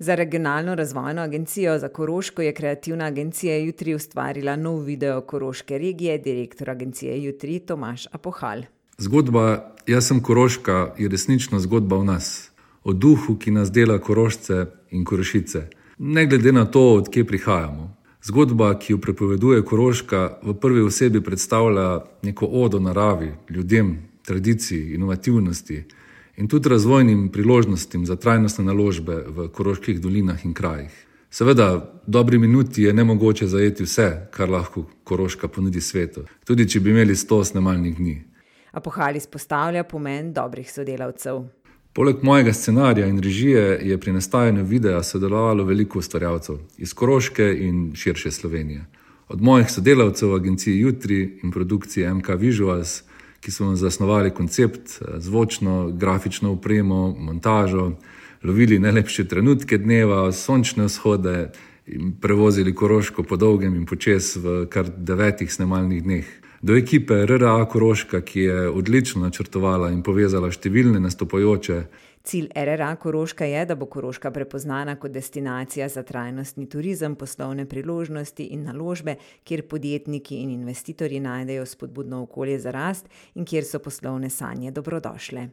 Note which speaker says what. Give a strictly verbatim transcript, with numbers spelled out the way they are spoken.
Speaker 1: Za regionalno razvojno agencijo za Koroško je kreativna agencija Jutri ustvarila nov video koroške regije, direktor agencije Jutri Tomaž Apohal.
Speaker 2: Zgodba Jaz sem Koroška je resnično zgodba o nas, o duhu, ki nas dela Korošce in Korošice, ne glede na to, od kje prihajamo. Zgodba, ki jo prepoveduje Koroška, v prvi osebi predstavlja neko odo naravi, ljudem, tradiciji, inovativnosti in tudi razvojnim priložnostim za trajnostne naložbe v koroških dolinah in krajih. Seveda, v dobri minuti je nemogoče zajeti vse, kar lahko Koroška ponudi svetu, tudi če bi imeli sto snemalnih dni.
Speaker 1: Apohal izpostavlja pomen dobrih sodelavcev.
Speaker 2: Poleg mojega scenarija in režije je pri nastajanju videa sodelovalo veliko ustvarjalcev iz Koroške in širše Slovenije. Od mojih sodelavcev v agenciji Jutri in produkcije M K Visuals, ki so zasnovali koncept, zvočno, grafično opremo, montažo, lovili najlepše trenutke dneva, sončne vzhode in prevozili Koroško po dolgem in počez v kar devetih snemalnih dneh. Do ekipe R R A Koroška, ki je odlično načrtovala in povezala številne nastopajoče.
Speaker 1: Cilj R R A Koroška je, da bo Koroška prepoznana kot destinacija za trajnostni turizem, poslovne priložnosti in naložbe, kjer podjetniki in investitorji najdejo spodbudno okolje za rast in kjer so poslovne sanje dobrodošle.